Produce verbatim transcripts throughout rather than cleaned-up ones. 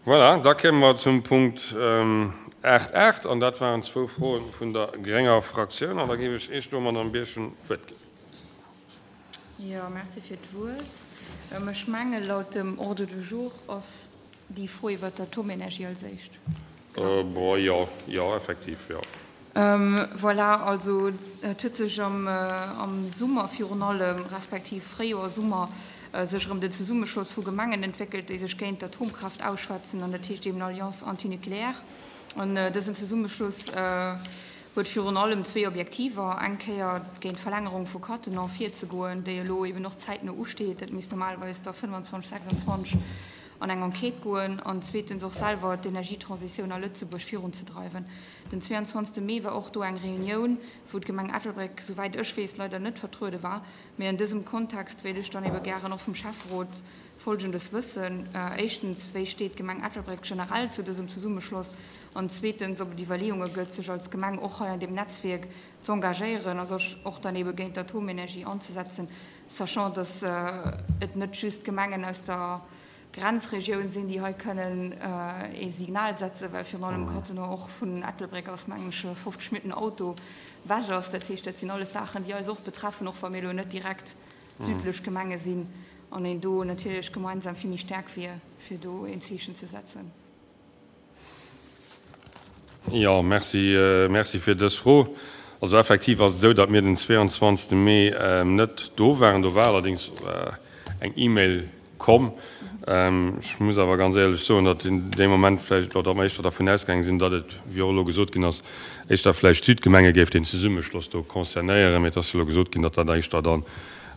Voilà, da kéime mer zum Punkt aacht aacht, an dat waren zwou Froen vun der grénger Fraktioun. An da géif ech Iech do, Madame Birchen, d'Wuert ginn. Jo, merci fir d'Wuert. Ech menge laut dem Ordre du jour ass déi Fro iwwert d'Atomenergie als éischt. Bon, jo, jo, effektiv, jo. Voilà, also et huet sech am Summer virun allem, respektiv Fréijoer, Summer, sech erëm den Zesummeschloss vu Gemengen entwéckelt, déi sech géint d'Atomkraaft ausschwätzen, an dat heescht eben Alliance antinucléaire. An dësen Zesummeschloss huet virun allem zwee Objektiver, eng Kéier géint d'Verlängerung vu Cattenom virzegoen, déi elo eben och zäitno usteet, dat misst normalerweis da fënnwanzwanzeg, sechsandzwanzeg an eng Enquête goen, an zweetens och selwer d'Energietransitioun a Lëtzebuerg virunzedreiwen. Den zweiundzwanzegste Mee war och do eng Reunioun, wou d'Gemeng Ettelbréck, souwäit ech weess, leider net vertruede war. Mee an dësem Kontext wéilt ech dann ebe gären och vum Schäfferot Folgendes wëssen, Éischtens, wéi steet d'Gemeng Ettelbréck generell zu dësem Zesummeschloss? An zweetens, ob et Iwwerleeunge gëtt, sech als Gemeng och hei an deem Netzwierk z'engagéieren a sech och dann ebe géint d'Atomenergie anzesetzen, sachant dass et net just Gemengen aus der Grenzregioun sinn, déi hei kënnen ee Signal setzen, well virun allem Cattenom och vun Ettelbréck ass, mengen ech, fofzeg Minutten Auto wech ass. Dat heescht, dat sinn alles Saachen, déi eis och betreffen, och wa mir elo net direkt südlech Gemenge sinn an een do natierlech gemeinsam vill méi staark wier, fir do een Zeechen ze setzen. Jo, merci, merci fir dës Fro. Also effektiv ass et esou, datt mir den zweiundzwanzegste Mee net do waren. Do war allerdéngs eng E-Mail komm. Ech muss awer ganz éierlech soen, datt in deem Moment vläicht, oder datt mer éischter dervun ausgaange sinn, datt et, wéi och elo gesot ginn ass, éischter vläicht d'Südgemenge géif deen Zesummeschloss do concernéieren. Mee et ass jo elo gesot ginn, datt dat éischter dann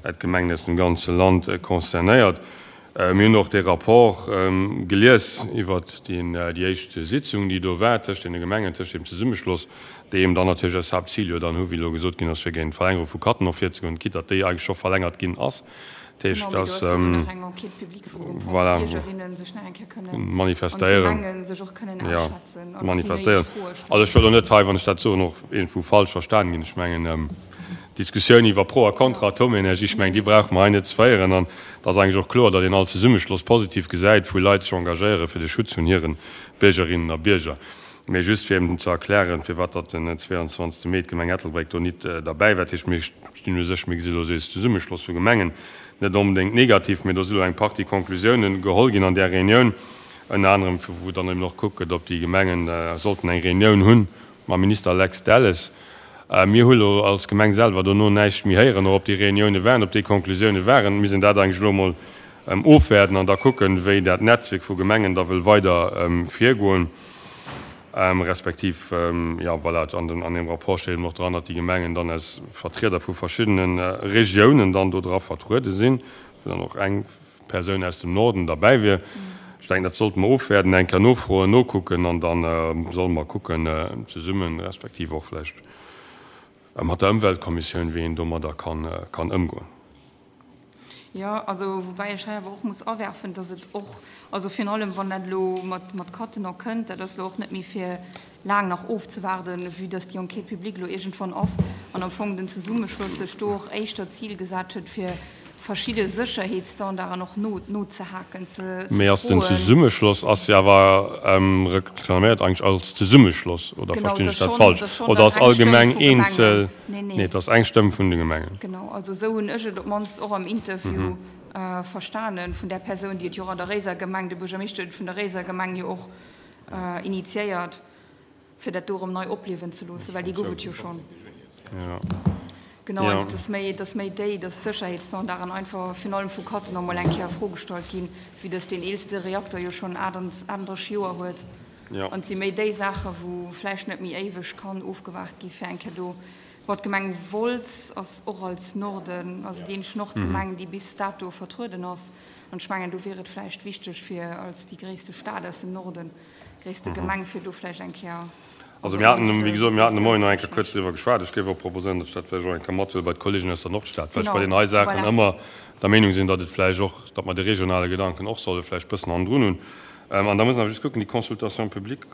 d'Gemengen aus dem ganze Land concernéiert. Mir hunn och dee Rapport gelies iwwert déi éischt Sitzung, déi do war tëscht deene Gemengen, tëscht deem Zesummeschloss, déi eben dann natierlech als Haaptzil jo dann hu, wéi elo gesot ginn ass, fir géint d'Verlängerung vu Cattenom virzegoen, quitte datt déi eigentlech scho verlängert ginn ass. Dat heescht, Genau, mee do dass, ass jo nach eng Enquête publique, wou och voilà, d'Biergerinnen sech nach eng Kéier kënnen an manifestéieren, d'Gemengen sech och kënnen jo, ausschwätzen an och déi néideg manifestéieren. Froe Also ech stellen. wëll elo net hei, wann ech dat soen, och iergendwou falsch verstan ginn. Ech mengen, d'Diskussioun iwwer Pro a Kontra Atomenergie, ech mengen, déi brauche mer hei net ze féieren. An et ass eigentlech och kloer, datt een all Zesummeschloss positiv gesäit, wou Leit sech engagéiere fir de Schutz vun hire Biergerinnen a Bierger. Mee just fir eben ze erklären, firwat datt den zweiundzwanzegste Mee d'Gemeng Ettelbréck do nit derbäi war. Dat heescht, mir stinn u sech, mir gesi lo eis Zesummeschloss vu Gemengen net onbedéngt negativ, mee do si lo eng Partie Conclusiounen geholl ginn an där Reunioun, ënner anerem wou dann eben och gekuckt gëtt, ob déi Gemengen sollten eng Reunioun hunn mam Minister Lex Delles. Mir hu lo als Gemeng selwer dono näischt méi héieren, och ob déi Reunioune waren, ob déi Conclusioune waren. Mir sinn dat eigentlech elo emol ofwäerden an da kucken, wéi dat Netzwierk vu Gemengen da wëll weider virgoen. Respektiv, jo, voilà, an an deem Rapport steet eben och dran, datt déi Gemengen dann aus Vertrieder vu verschiddene Regiounen dann do dra vertruede sinn, wou dann och eng Persoun aus dem Norden derbäi wier. Ech denken, dat sollte mer ofwäerden, eng Kéier nofroen, nokucken an da solle mer kucken zesummen, respektiv och vläicht mat der Ëmweltkommissioun, wéi een domadder kann kann ëmgoen. Jo, also woubäi ech hei awer och muss awerfen, dass et och, also virun allem wann dat elo mat mat Cattenom kënnt, dat ass elo och net méi fir laang nach ofzewaarden, vue dass déi Enquête publique elo iergendwann ass an am Fong den Zesummeschloss sech do och éischter d'Zil gesat huet, fir verschidde Sécherheetsstandarden och no nozehaken, ze Mee ass den froen. Zesummeschloss ass jo awer reklaméiert eigentlech als Zesummeschloss, oder Genau, verstinn et ech ass dat schonn, falsch? et ass schonn Oder dann ass eng Stëmm allgemeng vu Gemengen. eenzel? Nee, Nee, nee. et ass eng Stëmm vun de Gemengen. Genau, also esou hunn ech et op d'mannst och am Interview verstanen vun där Persoun, déi et jo och an der Réiser Gemeng, de Buergermeeschter huet et vun der Réiser Gemeng jo och initiéiert, fir dat do erëm nei opliewen ze loossen, well déi gouf et jo schonn. Genau, an et ass méi, et ass méi déi, dass d'Sécherheetsstandarden einfach virun allem vu Cattenom mol eng Kéier a Fro gestallt ginn, vue dass deen eelste Reakter jo schonn achtundrësseg Joer huet. An et si méi déi Saachen, wou vläicht net méi éiweg kann ofgewaart gi fir eng Kéier do. Bon, d'Gemeng Wolz ass och als Norden, also déi eenzeg Nordgemeng, déi bis dato vertrueden ass. An ech mengen, do wier et vläicht wichteg fir als déi gréisste Stad aus dem Norden, gréisste Gemeng, fir do vläicht eng Kéier. Also mir haten, wéi gesot, mir haten de Moien nach eng Kéier kuerz driwwer geschwat. Ech géif och proposéieren, datt ech dat vläicht och eng Kéier mathuele bei d'Kollegen aus der Nordstad, well ech bei deenen hei Saachen ëmmer der Meenung sinn, datt et vläicht och, datt mer de regionale Gedanken och solle vläicht bëssen hannendrun hunn. An da muss een awer just kucken, déi Consultation publique,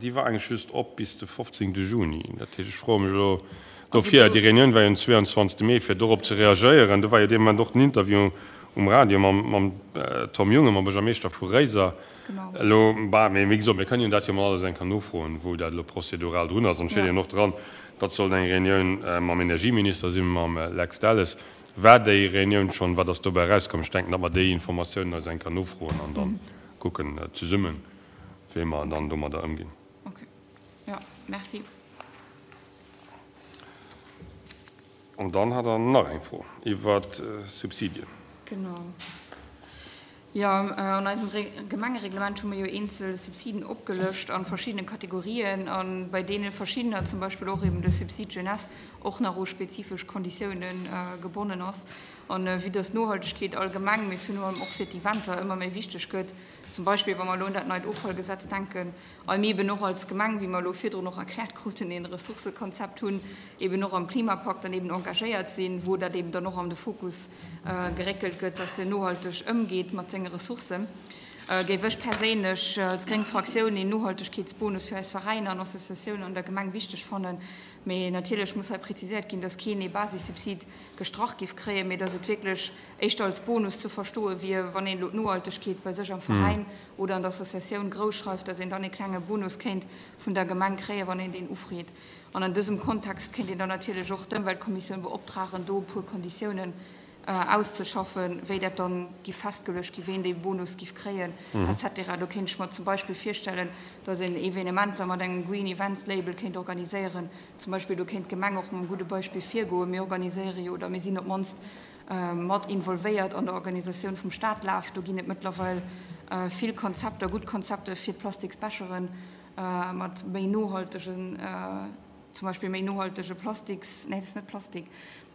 déi war eigentlech just op bis de fofzéngte Juni. Dat heescht, ech froe mech elo dofir, déi Reunioun war jo den zweiundzwanzegste Mee, fir dorop ze reagéieren. Do war jo dee Moment och den Interview um Radio mam, mam Tom Junge, mam Buergermeeschter vu Réiser. Elo, bah, mee wéi gesot, mir kënnen dat jo mol alles eng Kéier nofroen, wou dat elo prozedural drun ass. An et steet jo och dran, datt sollt eng Reunioun mam Energieminister sinn, mam Lex Delles. War déi Reunioun schonn? Wat ass dobäi erauskomm? Ech denken, datt mer déi Informatiounen eis eng Kéier nofroen an da kucken zesummen, wéi mer dann domadder ëmginn. Okay. Jo, merci. An dann hat Der nach eng Fro iwwer Subsidien. Genau. Jo, an eisem Gemengereglement hu mir jo eenzel Subsiden opgelëscht a verschiddene Kategorien a bei deene verschiddener, zum Beispill och eben de Subside Jeunesse, och nach u spezifesch Konditiounen gebonnen ass. An vue dass d'Nohaltegkeet allgemeng, mee virun allem och fir d'Eventer ëmmer méi wichteg gëtt, zum Beispill wa mer elo un dat neit Offallgesetz denken, a mir eben och als Gemeng, wéi mer elo virdrun och erkläert kruten, een Ressourcëkonzept hunn, eben och am Klimapakt dann eben engagéiert sinn, wou dat eben dann och an de Fokus geréckelt gëtt, dass en nohalteg ëmgeet mat senge Ressourcen, géif ech perséinlech als gréng Fraktioun een Nohaltegkeetsbonus fir eis Veräiner an Associatiounen an der Gemeng wichteg fannen. Mee natierlech muss hei präziséiert ginn, dass keen ee Basissubsid gestrach géif kréien, mee dass et wierklech éischter als Bonus ze verstoe wier, wann een elo d'Nohaltegkeet bei sech am Veräin oder an der Associatioun grousschreift, dass een dann ee klenge Bonus kéint vun der Gemeng kréien, wann een deen ufreet. An an dësem Kontext kéint een dann natierlech och d'Ëmweltkommissioun beoptragen, do e puer Konditiounen auszeschaffen, wéi dat dann giff festgeluecht gi, ween dee Bonus giff kréien, et cetera. Do kéint ech mer zum Beispill virstellen, dass een Evenementer mat engem Green Events Label kéint organiséieren. Zum Beispill do kéint d'Gemeng och mam gudde Beispill virgoen. Mir organiséiere jo, oder mir sinn op d'mannst mat involvéiert an der Organisatioun vum Stadlaf. Do ginn et mëttlerweil vill Konzepter, gutt Konzepter fir d'Plastiksbecheren mat méi nohaltegen, zum Beispill méi nohaltege Plastiks, nee, dat ass net Plastik,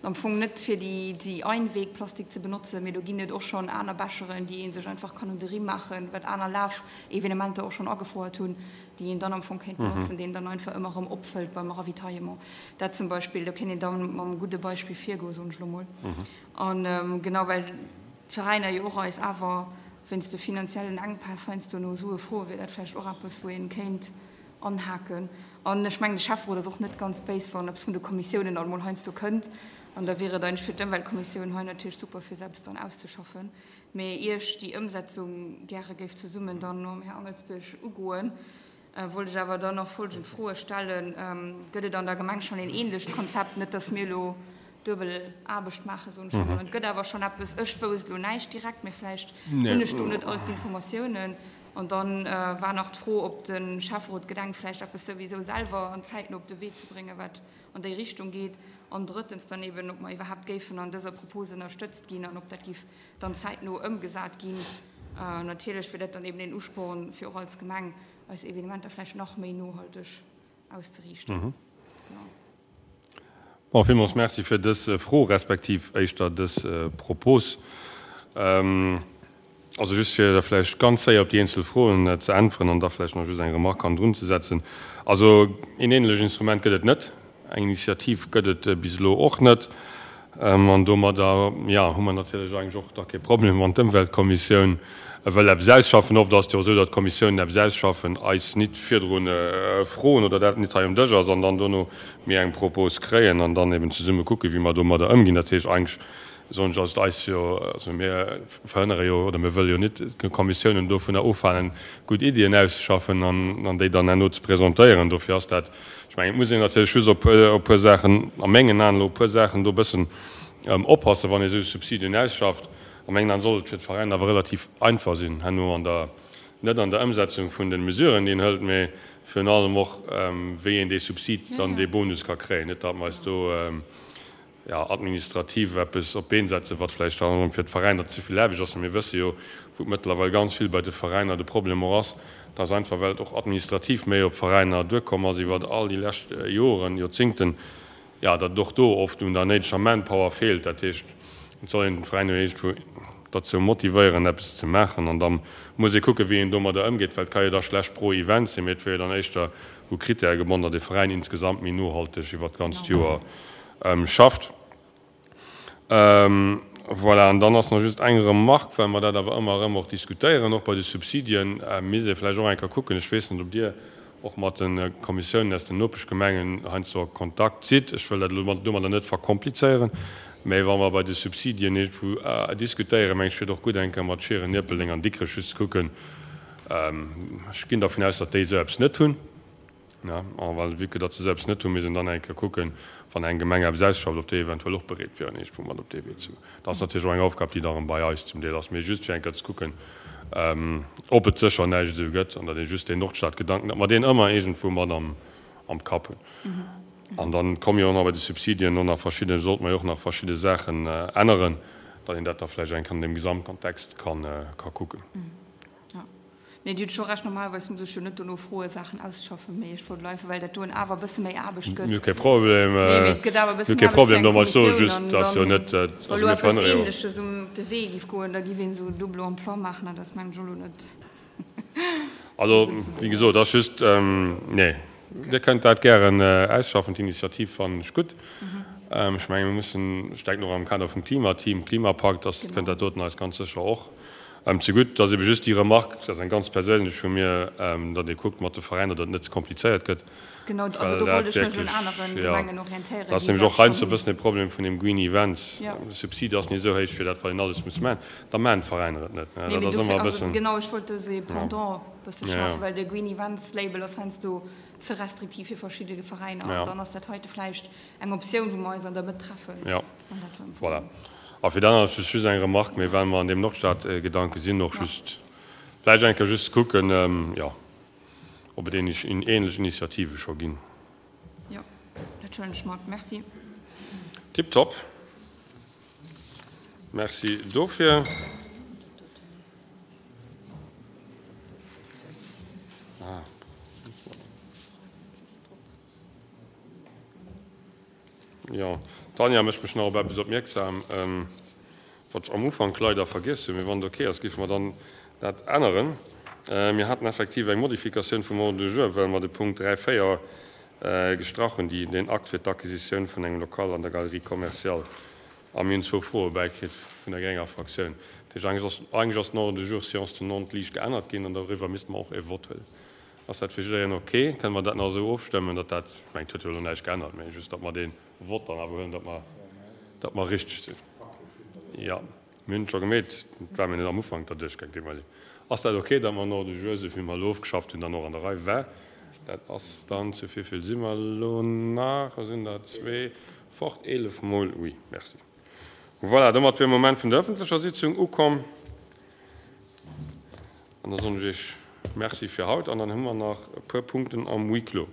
am Fong net fir déi, déi Einwegplastik ze benotzen, mee do ginn et och schonn aner Becheren, déi ee sech einfach kann un de Rimm maachen, wat aner Lafevenementer och schonn agefouert hunn, déi een dann am Fong kéint benotzen, déi een dann einfach ëmmer erëm opfëllt beim Ravitaillement. Dat zum Beispill, do kéint een dann mam gudde Beispill virgoen, soen ech elo mol. A genau well d'Veräiner jo och eis awer wéinst de finanziellen Enkpäss heiansdo no Sue froen, wier dat vläicht och eppes, wou ee kéint anhaken. An ech mengen, de Schäfferot ass och net ganz béis, wann eppes vun de Kommissiounen alt mol heiansdo kënnt. An da wier et eigentlech fir d'Ëmweltkommissioun hei natierlech super, fir se eppes dann auszeschaffen. Mee ier ech déi Ëmsetzung gäre géif zesummen dann mam Här Angelsbierg ugoen, wollt ech awer dann nach folgend Froe stellen, Gëtt et an der Gemeng schonn een ähnlecht Konzept? Net, dass mir elo duebel Aarbecht maachen, soen ech emol. Et gëtt awer schonn eppes. Ech wousst elo näischt direkt, mee vläicht hunn ech do net all d'Informatiounen. An dann war nach d'Fro, ob de Schäfferot gedenkt, vläicht eppes souwisou selwer an zäitno op de Wee ze bréngen, wat an déi Richtung geet. An drëttens dann eben, ob mer iwwerhaapt géifen an dëser Propos ënnerstëtzt ginn an ob dat géif dann zäitno ëmgesat ginn. Natierlech wier dat dann eben een Usporn, fir och als Gemeng eis Evenementer vläicht nach méi nohalteg auszeriichten. Genau. Bon, villmools Merci fir dës Fro, respektiv éischter dës Propos. Also just fir da vläicht ganz séier op déi eenzel Froen ze äntweren an da vläicht nach just eng Remarque hannendrun ze setzen. Also een ähnlech Instrument gëtt et net, eng Initiativ gëtt et bis elo och net. An domadder, jo, hu mer natierlech eigentlech och da kee Problem, wann d'Ëmweltkommissioun wëll eppes ausschaffen. Oft ass et jo esou, datt d'Kommissiounen eppes ausschaffen, eis nit virdru froen oder dat nit hei um Dësch ass an dann dono mir eng Propos kréien an dann eben zesumme kucken, wéi mer domadder ëmginn. Dat heescht eigentlech, soen ech, ass et eis jo, also mir verhënnere jo oder mir wëlle jo nit d'Kommissiounen dovunner ofhalen, gutt Iddien auszeschaffen an déi dann herno ze presentéieren. Dofir ass dat, ech mengen, et muss een natierlech just op e puer Saachen, a mengen Aen elo e puer Saachen do e bëssen oppassen, wann ee esou Subsidien ausschafft. A mengen Aen sollt et fir d'Veräiner awer relativ einfach sinn, herno an der, net an der Ëmsetzung vun de Mesuren, déi een hëlt, mee virun allem och, wéi een dee Subsid dann, dee Bonus ka kréien. Net datt mer eis do, jo, administrativ eppes op d'Been setzen, wat vläicht dann erëm fir d'Veräiner ze vill Aarbecht ass. Mä mir wësse jo, wou et mëttlerweil ganz vill bei de Veräiner de Problem och ass, dass einfach, well et och administrativ méi op d'Veräiner duerkomm ass iwwer all déi lescht Joren, Joerzingten, jo, datt et och do oft un der néideger Manpower feelt. Dat heescht, et soll een d'Veräiner jo iergendwou derzou motivéieren, eppes ze maachen. An da muss ee kucken, wéi een domadder ëmgeet, well et ka jo da schlecht pro Event sinn, mee et wier jo dann éischter u Krittäre gebonn, datt ee Veräin insgesamt méi nohalteg iwwert d'ganzt Joer schafft. Voilà, an dann ass nach just eng Remarque, well mer dat awer ëmmer erëm och diskutéieren, och bei de Subsidien misst ee vläicht och eng Kéier kucken, ech weess net, ob Dir och mat de Kommissiounen aus den Nopeschgemengen heiansdo a Kontakt sidd, ech wëll dat elo domadder net verkomplizéieren, Mä wa mer bei de Subsidien iergendwou diskutéieren, meng ech, wier et och gutt, eng Kéier mat Schieren, Ierpeldeng an Dikrech just ze kucken. Ech ginn dervun aus, datt déi esou eppes net hunn. A well, vue que datt se esou eppes net hunn, misst een dann eng Kéier kucken, wann eng Gemeng eppes ausschafft, ob déi eventuell och bereet wieren, iergendwou mat op dee Wee ze goen. Dat ass natierlech och eng Aufgab, déi da erëm bei eis zum Deel ass, mee just fir eng Kéier ze kucken, ob et sécher näischt esou gëtt an datt ee just deen Nordstadgedanken, datt mer deen ëmmer iergendwou mat am Kapp hunn. An dann komme jo och nach bei de Subsidien och nach verschidde, sollte mer jo och nach verschidde Saachen änneren, datt een dat da vläicht eng Kéier an deem Gesamtkontext ka kucken. Jo, nee, Dir hutt scho Recht, normalerweis muss ech jo net dono froe Saachen ausschaffen, mee ech wollt elo einfach, well dat doen awer e bësse méi Aarbecht gëtt. Mir hu kee Problem, Nee, mee et gëtt awer e mir bëssen hu kee Aarbecht fir Problem eng domat. Ech soe Kommissioun just, an dass jo dann, net, wa also elo mir eppes verhënnere jo. Ähnleches um de Wee géif goen, da giff een esou double emploi maachen an dat ass mengen ech elo net Also, wéi gesot, ass just, nee, Dir kënnt dat gären ausschaffen, d'Initiativ fannen ech gutt. Ech menge mir mussen, ech denken och am Kader vum Klimateam, Klimapakt, dass kënnt dat doten eis ganz sécher och zegutt. Et ass ebe just déi Remarque, dat ass eng ganz perséinlech vu mir, datt ee kuckt mat de Veräiner, datt et net ze komplizéiert gëtt, Genau, also well do wollt dat ech mech un wierklech, anere jo, Gemengen dat orientéieren, ass déi nämlech dat och heiansdo schonn e bëssen e Problem vun deem Green Events. Jo. De Subsid ass net esou héich fir dat, wat een alles muss maachen, da maachen d'Veräiner et net, Nee, dat mee ass dofir, ëmmer e also bëssen, genau, ech wollt do esou ee jo, Pendant e bësse jo, jo. schafen, well de Green Events Label ass heiansdo ze restriktiv fir verschidde Veräiner an Ja. dann ass dat heite vläicht eng Optioun, wou mer eis an der Mëtt treffen Ja, an dat war am voilà. Fong. A fir dat aner just eng Remarque, mee well mer an deem Nordstad-Gedanke sinn, och Ja. just vläicht eng Kéier just kucken, jo, ob et ähnlech, ähnlech Initiative scho ginn. Jo, dat huelen ech mat. Merci. Tiptop. Merci dofir. Jo, d'Tanja mécht mech nach op eppes opmierksam, wat ech am Ufank leider vergiess hunn. Mee wann et ok ass, géife mer dann dat änneren. Mir haten effektiv eng Modifikatioun vum Ordre du jour, well mer de Punkt dräi, véier gestrach hunn, déi, deen Akt fir d'Acquisitioun vun engem Lokal an der Galerie commerciale. A mir hunn zwou Froe bäikritt vun der grénger Fraktioun. Dat heescht, eigentlech ass, eigentlech ass den Ordre du jour séance tenante liicht geännert ginn an doriwwer misste mer och e Vott huelen. Ass dat fir jiddereen ok? Kënne mer dat nach esou ofstëmmen, datt dat, ech mengen, et huet jo elo näischt geännert, mä just, datt mer dee Vott dann awer huelen, datt mer, datt mer richteg sinn. Jo, mir hunn et scho gemeet, et war mir net am Ufank derduerch gaang, désolé. Ass dat ok, datt mer den Ordre du jour, esou wéi mer elo ofgeschafft hunn, dann och an der Rei war? Dat ass dann, zu wéivill si mer elo nach? Et sinn der zwee fort, eelef mol, oui, merci. Voilà, domat wier Moment vun der öffentlecher Sitzung ukomm. An da soen ech Iech Merci fir haut an dann hu mer nach e puer Punkten am Huis clos.